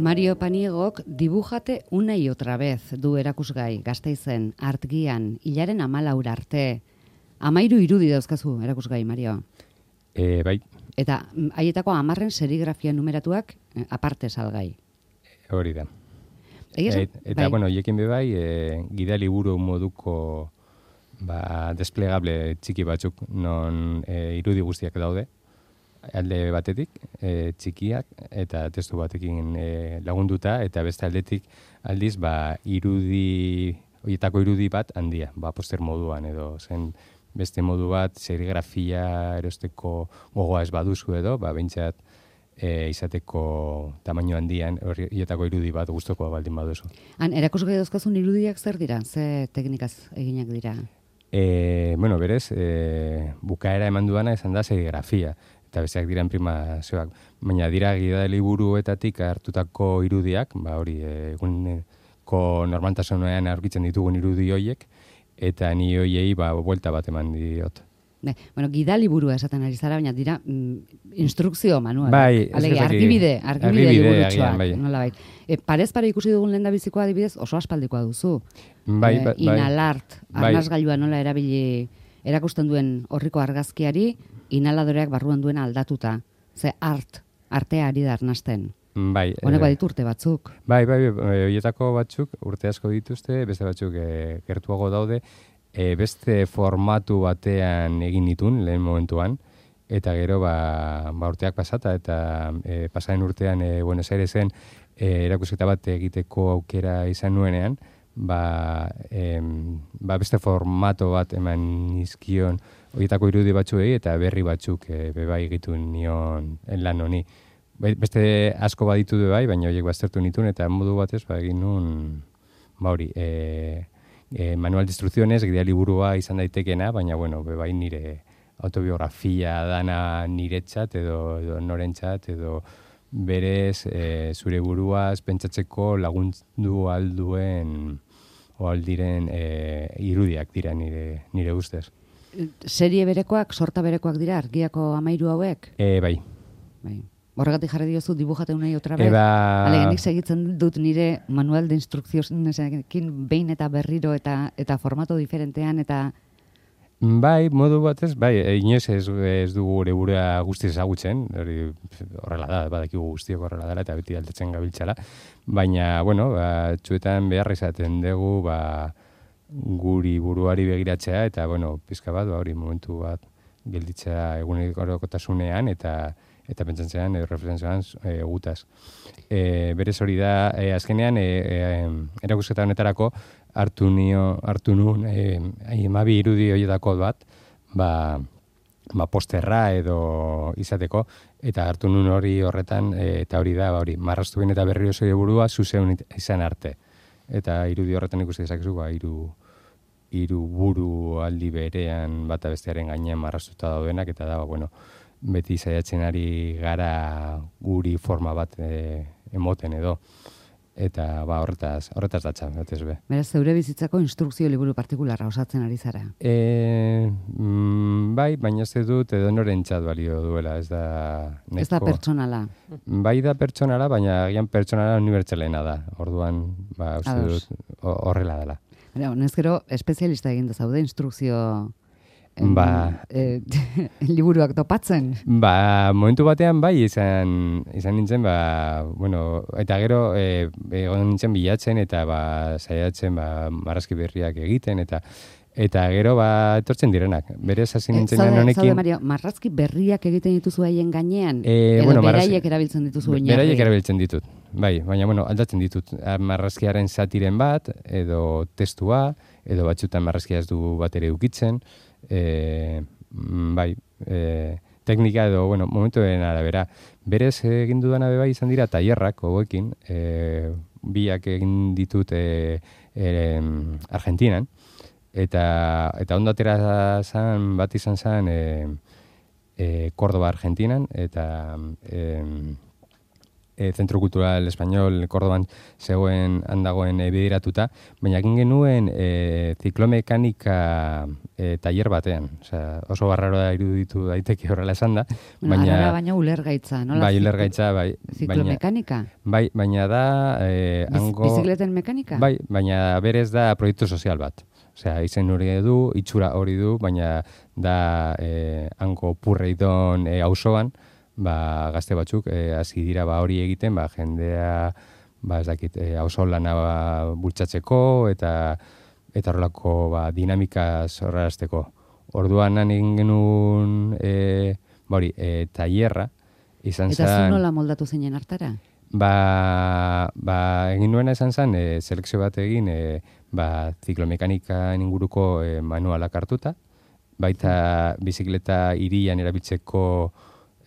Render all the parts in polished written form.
Mario Paniegok Dibujate una y otra vez du erakusgai Gasteizen, Artgian, hilaren 14 arte. 13 irudi dauzkazu erakusgai, Mario. Bai. Eta haietako 10 serigrafia numeratuak aparte salgai. Hori da. Eta, bai. bueno, hiekin bai, gida liburu moduko desplegable txiki batzuk non irudi guztiak daude. Alde batetik, txikiak eta testu batekin lagunduta, eta beste aldetik aldiz, horietako irudi bat handia, poster moduan edo zen beste modu bat, serigrafia erosteko gogoa ez baduzu edo, behintzat izateko tamaino handian, horietako irudi bat gustukoa baldin baduzu. Erakusgai dauzkazun irudiak zer dira? Ze teknikaz eginak dira? Bueno, berez, bukaera eman duana izan da serigrafia. Eta besteak dira imprimazioak. Baina dira gida liburuetatik hartutako irudiak, hori, eguneko normaltasunean aurkitzen ditugun irudi hoiek, eta ni hoiei buelta bat eman diot. Bueno, gida liburua esaten ari zara, baina dira instrukzio manual. Bai, argibide liburutxoak. Bai. Parez pare ikusi dugun lehendabizikoa adibidez oso aspaldikoa duzu. Bai. Inalart, arnasgailua nola erabili erakusten duen horriko argazkiari, inhaladoreak barruan duen aldatuta. Ze artea ari da arnasten. Bai. Honeko ditu urte batzuk. Bai, horietako batzuk urte asko dituzte, beste batzuk gertuago daude, beste formatu batean egin ditun lehen momentuan, eta gero urteak pasata, eta pasaren urtean Buenos Airesen erakusketa bat egiteko aukera izan nuenean, beste formato bat eman nizkion horietako irudi batzuei eta berri batzuk bai egitun nion lan honi. Beste asko baditu bai, baina horiek baztertu nituen eta modu batez egin nun manual de instrucciones, gida liburua izan daitekena, baina bai nire autobiografia dana niretzat edo norentzat edo berez zure buruaz pentsatzeko lagundu alduen o aldiren irudiak dira nire ustez. Serie berekoak, sorta berekoak dira argiako 13 hauek? Bai. Horregatik jarri diozu Dibujate una y otra vez. Alegenik segitzen dut nire manual de instrukzionekin behin eta berriro eta formato diferentean eta... Bai, modu batez, inoiz ez dugu gure burua guztiz ezagutzen, horrela da, badakigu guztiok horrela dela eta beti aldatzen gabiltzala, baina, txuetan beharra izaten dugu, guri buruari begiratzea eta, pizka bat, momentu bat gelditzea egunerokotasunean eta pentsatzean, reflexioan gutaz. Berez hori da, azkenean, erakusketa honetarako hartu nun 12 irudi horietako bat, posterra edo izateko, eta hartu nun hori horretan, eta hori da, marraztu behin eta berriro zure burua zuzeun izan arte. Eta irudi horretan ikusi dezakezu, hiru buru aldi berean bata bestearen gainean marraztuta daudenak, eta da, beti saiatzen ari gara guri forma bat emoten edo. Eta horretaz datza, batez be. Beraz, zeure bizitzako instrukzio liburu partikularra osatzen ari zara? Bai, baina ez dut edo norentzat balio duela, ez da... Ez da pertsonala? Bai da pertsonala, baina agian pertsonala unibertsalena da. Orduan, uste dut horrela dela. Honezkero, espezialista egin zaude instrukzio... liburuak topatzen? Momentu batean izan nintzen, eta gero egon nintzen bilatzen eta saiatzen marrazki berriak egiten eta gero etortzen direnak. Berez hasi nintzen honekin... Zaude, Mario, marrazki berriak egiten dituzu haien gainean? Edo beraiek erabiltzen dituzu oinarri? Beraiek erabiltzen ditut, baina aldatzen ditut. Marrazkiaren zatiren bat, edo testua, edo batzutan marrazkia ez du bat ere ukitzen, teknika edo, momentuen arabera. Berez egin dudana izan dira tailerrak hauekin, biak egin ditut Argentinan, eta ondo atera zan, bat izan zan Córdoba, Argentinan, eta Zentro Kultural Espainol Kordoban zegoen handagoen bideratuta, baina egin genuen ziklomekanika taller batean. Osea, oso barraroa iruditu daiteke horrela esan da. Baina ulergaitza, nola? Bai, ulergaitza, bai. Ziklomekanika? Bai, baina da... Bizikleten mekanika? Bai, baina berez da proiektu sozial bat. Osea, izen hori du, itxura hori du, baina da hango Purreidon auzoan, gazte batzuk hasi dira hori egiten, jendea, ez dakit, auzo lana bultzatzeko eta horrelako dinamika zorrazteko. Orduan egin genuen tailerra izan zen... Eta zu nola moldatu zeinen hartara? Egin nuena izan zen, selekzio bat egin, ziklomekanika inguruko manualak hartuta, baita bizikleta hirian erabiltzeko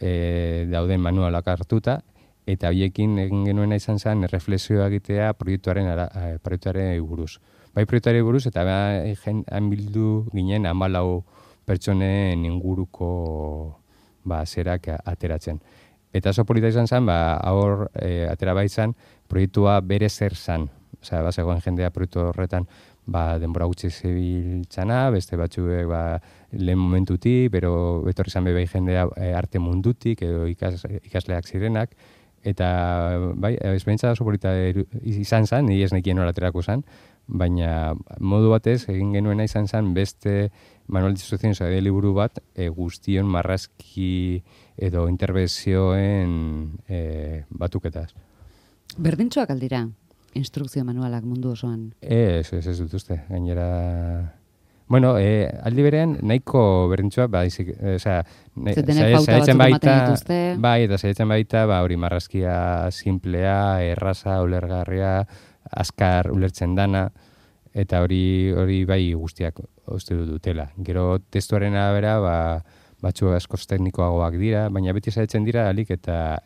dauden manualak hartuta, eta horiekin egin genuena izan zen reflexioa egitea proiektuaren buruz. Bai proiektuari buruz, eta han bildu ginen 14 pertsonen inguruko zerak ateratzen. Eta oso polita izan zen, hor atera baitzan, proiektua bere zer zan. Osea, zegoen jendea proiektu horretan denbora gutxi zebiltzana, beste batzuek lehen momentutik, bero betorri izan bebai jendea arte mundutik, edo ikasleak zirenak, eta esperientzia oso polita izan zen, ni ez nekien hor aterako zen, baina modu batez egin genuena izan zen beste manual de instrucciones edo liburu bat guztion marrazki edo interbentzioen batuketaz. Berdintxoak aldira, instrukzio manualak mundu osoan? Ez dut uste, gainera... Bueno, aldi berean, nahiko berdintxoa, saiatzen baita, hori marrazkia simplea, erraza, ulergarria, azkar ulertzen dana, eta hori bai guztiak uste dutela. Gero testuaren arabera, batzu askoz teknikoagoak dira, baina beti saiatzen dira alik eta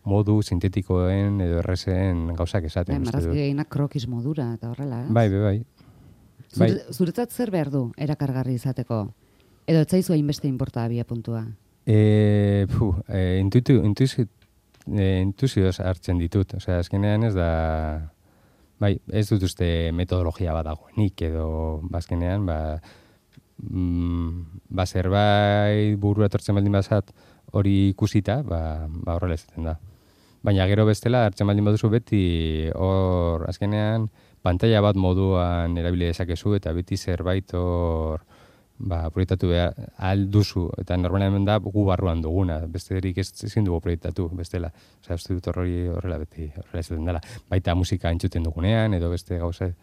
modu sintetikoen edo errezen gauzak esaten. Marrazki gehinak krokiz modura eta horrela. Bai. Zuretzat zer behar du erakargarri izateko? Edo ez zaizu hainbeste inporta abia puntua? Intuzioz hartzen ditut. Osea, azkenean ez da... Bai, ez dut uste metodologia bat dagoenik, edo azkenean, zerbait burua etortzen baldin bazat hori ikusita, horrela izaten da. Baina gero bestela, hartzen baldin baduzu beti, hor azkenean, pantalla bat moduan erabili dezakezu, eta beti zerbait hor proiektatu behar alduzu, eta normalmente da gu barruan duguna, besterik ezin dugu proiektatu, bestela. Osea, uste dut horrela beti, horrela izaten dela. Baita musika entzuten dugunean, edo beste gauza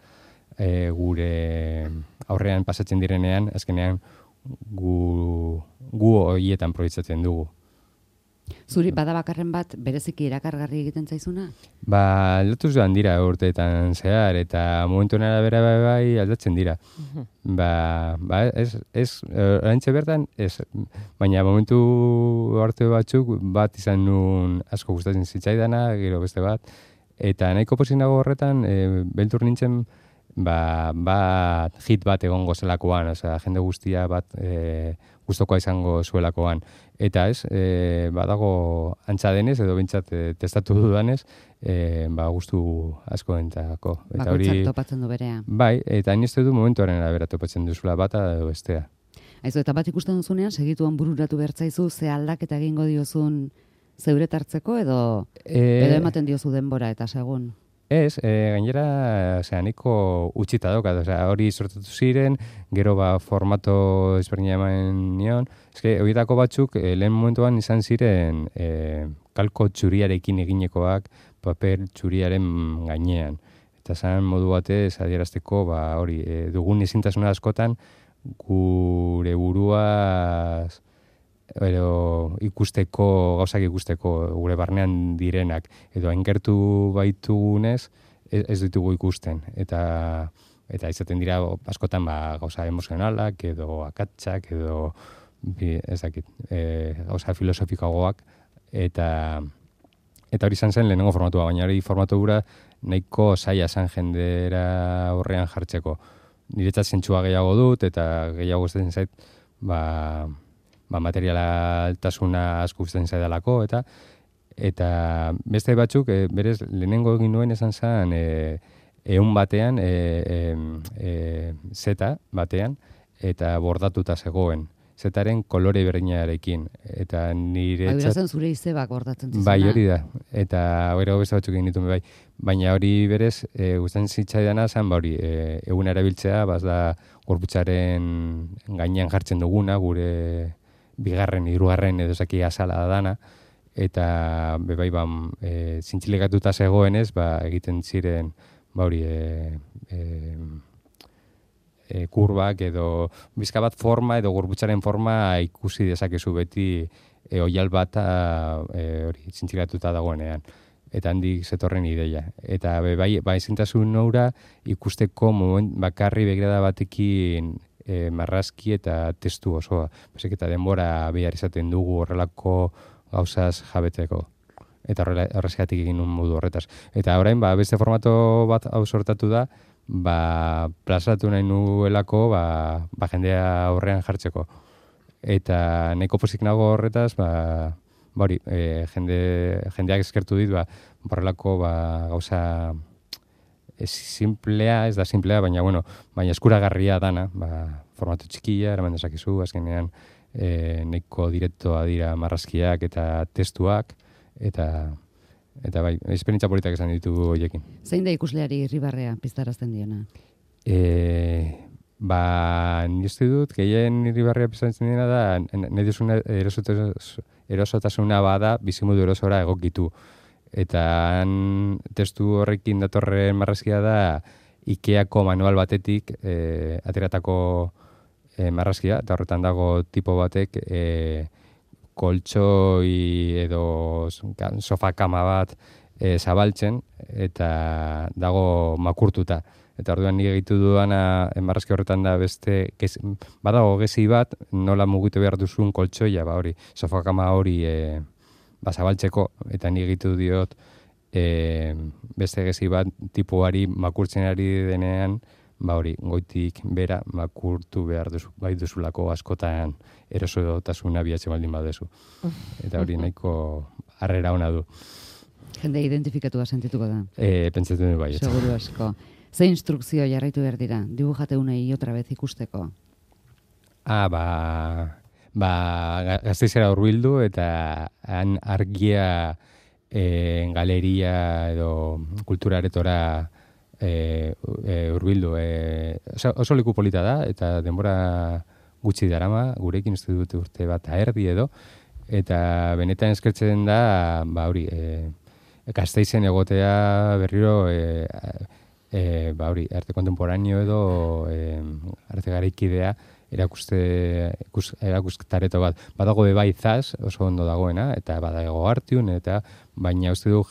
gure aurrean pasatzen direnean, azkenean gu horietan proiektatzen dugu. Zuri bada bakarren bat bereziki erakargarri egiten zaizuna? Aldatu joan dira urteetan zehar, eta momentu arabera bai aldatzen dira. Oraintxe bertan, ez. Baina momentu arte batzuk bat izan nun asko gustatzen zitzaidana, gero beste bat. Eta nahiko pozinago horretan, beltur nintzen, hit bat egongo zelakoan, osea, jende guztia bat gustokoa izango zuelakoan. Eta ez, badago antza denez, edo bintzat testatu dudanez, gustu asko entako. Bakoitzak topatzen du berea. Bai, eta hain ez du momentuaren arabera topatzen duzula bata edo bestea. Aizu, eta bat ikusten duzunean, segituan bururatu bertzaizu, ze aldaketa egingo diozun zeure tartzeko, edo ematen diozu denbora eta segun? Ez, gainera, nahiko utxita daukat, hori sortatu ziren, gero formato ezberdina eman nion. Horietako batzuk, lehen momentuan izan ziren kalko txuriarekin eginekoak paper txuriaren gainean. Eta zan modu batez adierazteko, hori, dugun ezintasuna askotan, gure buruaz gauzak ikusteko gure barnean direnak, edo haingertu baitugunez ez ditugu ikusten, eta izaten dira askotan gauza emozionalak, edo akatsak, edo ez dakit, gauza filosofikagoak, eta hori izan zen lehenengo formatua, baina hori formatu gura nahiko zaila zen jendera horrean jartzeko. Niretzat zentsua gehiago dut, eta gehiago gustatzen zait, materiala altasuna asko gustatzen zaidalako, Eta beste batzuk, berez, lehenengo egin nuen esan zen, ehun batean, zeta batean, eta bordatuta zegoen. Zetaren kolore berdinarekin. Eta nire... Bai, zen zure izebak bordatzen zizuna. Bai, hori da. Eta gero beste batzuk egin dituen bai. Baina hori berez, gustatzen zitzaidana zen, hori, egun erabiltzea, da gorputzaren gainean jartzen duguna, gure bigarren, hirugarren edo zaki azala dana, eta bai, zintzilikatuta zegoenez, egiten ziren, hori, kurbak edo bizka bat forma edo gorputzaren forma ikusi dezakezu beti oial bat hori zintzilatuta dagoenean. Eta handik zetorren ideia. Eta bai ezintasun noura ikusteko bakarri begirada batekin marrazki eta testu osoa. Basik eta denbora behar izaten dugu horrelako gauzaz jabeteko. Eta horrezgatik egin un modu horretaz. Eta orain beste formato bat hau sortatu da, plazaratu nahi nuelako jendea aurrean jartzeko. Eta nahiko pozik nago horretaz, hori, jendeak eskertu dit, horrelako gauza simplea, ez da simplea, baina eskuragarria dana, formatu txikia, eraman dezakizu, azkenean nahiko direktoa dira marrazkiak eta testuak, eta bai, esperientzia politak esan ditugu horiekin. Zein da ikusleari irribarrea piztarazten diona? Ni uste dut, gehien irribarrea piztarazten diena da, nahi duzuna erosotasuna bada, bizimodu erosora egokitu. Eta testu horrekin datorren marrazkia da, Ikeako manual batetik ateratako marrazkia, eta horretan dago tipo batek koltsoi edo sofakama bat zabaltzen, eta dago makurtuta. Eta orduan nire egitu duana marrazki horretan da beste, badago gezi bat, nola mugitu behar duzun koltsoia, hori, sofakama hori zabaltzeko, eta nire egitu diot beste gezi bat tipuari makurtzen ari denean, hori, goitik bera makurtu behar bai duzulako askotan erosotasuna bihatze baldin badezu. Eta hori nahiko harrera ona du. Jende identifikatua sentituko da. Pentsatzen du bai. Seguru asko. Ze instrukzio jarraitu behar dira? Dibujate unei otra vez ikusteko. Gasteizera hurbildu eta han argia galeria edo kulturaretora hurbildu. Oso leku polita da, eta denbora gutxi darama, gurekin uste dute urte bat erdi edo, eta benetan eskertzen da, hori, Gasteizen egotea berriro, hori, arte kontemporaneo edo arte garaikidea erakustareto bat. Badago bai Zaz, oso ondo dagoena, eta badago Artiun, eta baina uste du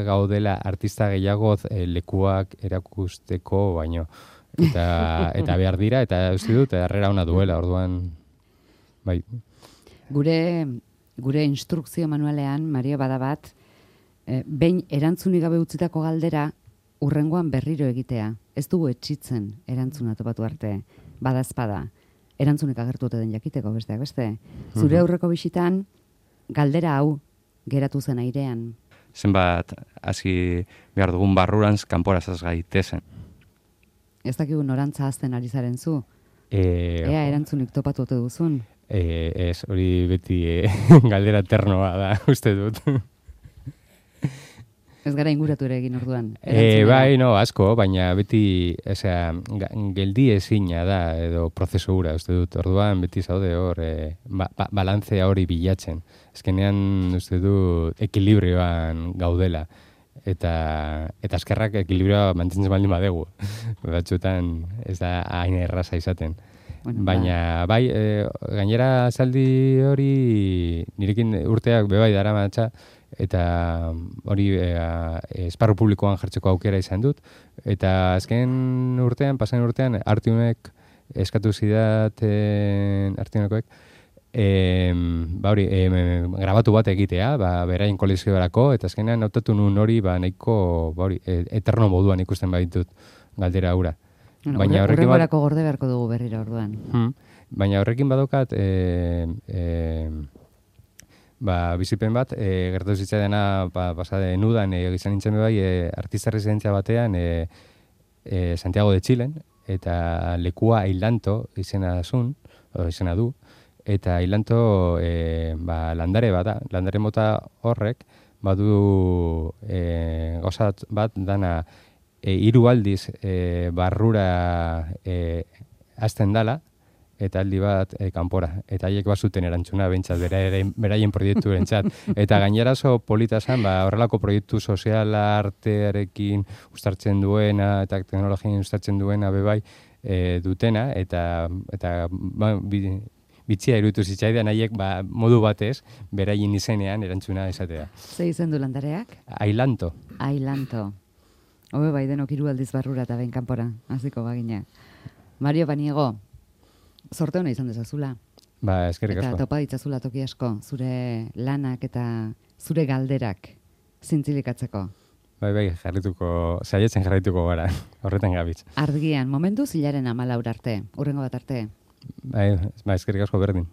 gaudela artista gehiago lekuak erakusteko baino. Eta behar dira, eta uste dut, harrera ona duela, orduan, bai. Gure instrukzio manualean, Mario, bada bat, behin erantzunik gabe utzitako galdera, urrengoan berriro egitea. Ez dugu etxitzen erantzuna topatu arte. Badazpada, erantzunik agertu den jakiteko besteak beste. Zure aurreko bisitan, galdera hau geratu zen airean. Zenbat, hasi behar dugun barrurantz kanporazaz gaitezen. Ez dakigu norantza azten ari zaren zu? Ea erantzunik topatu ote duzun? Ez, hori beti galdera ternoa da, uste dut. Ez gara inguratu ere egin orduan. Bai, asko, baina beti, geldi ezina da, edo prozesu hura, uste dut, orduan beti zaude hor, balantzea hori bilatzen. Ezkenean, uste dut, ekilibrioan gaudela. Eta eskerrak ekilibrioa mantentzen baldin badegu. Batzuetan ez da hain erraza izaten. Baina, bai, gainera zaldi hori nirekin urteak bebai dara matxa, eta hori esparru publikoan jartzeko aukera izan dut. Eta azken urtean, pasan urtean, Artiunek eskatu zidaten Artiunekoek, grabatu bat egitea, berain kolekziorako, eta azkenean hautatu nuen hori, nahiko, eterno moduan ikusten baditut galdera hura. Horrengorako gorde beharko dugu berriro orduan. Baina horrekin badokat, bizipen bat, gertatu zitzaidana pasade nudan, izan nintzen bai, artista residentzia batean, Santiago de Chilen, eta lekua Ailanto izena du, eta Ailanto landare bat da, landare mota horrek, badu gozat bat dana hiru aldiz barrura hasten dala, eta aldi bat kanpora. Eta haiek bazuten erantzuna behintzat, beraien proiekturentzat. Eta gainera oso polita zen, horrelako proiektu soziala artearekin uztartzen duena, eta teknologien uztartzen duena bebai dutena, eta bitxia iruditu zitzaidan haiek modu batez, beraien izenean erantzuna esatea. Ze izen du landareak? Ailanto. Ailanto. Hobe bai denok hiru aldiz barrura eta behin kanpora, hasiko bagina. Mario Paniego, sorte hona izan dezazula. Eskerrik asko. Eta topa ditzazula toki asko, zure lanak eta zure galderak zintzilikatzeko. Bai, saiatzen jarraituko gara, horretan gabitz. Argian, momentu zilaren 14 arte, hurrengo bat arte. Eskerrik asko berdin.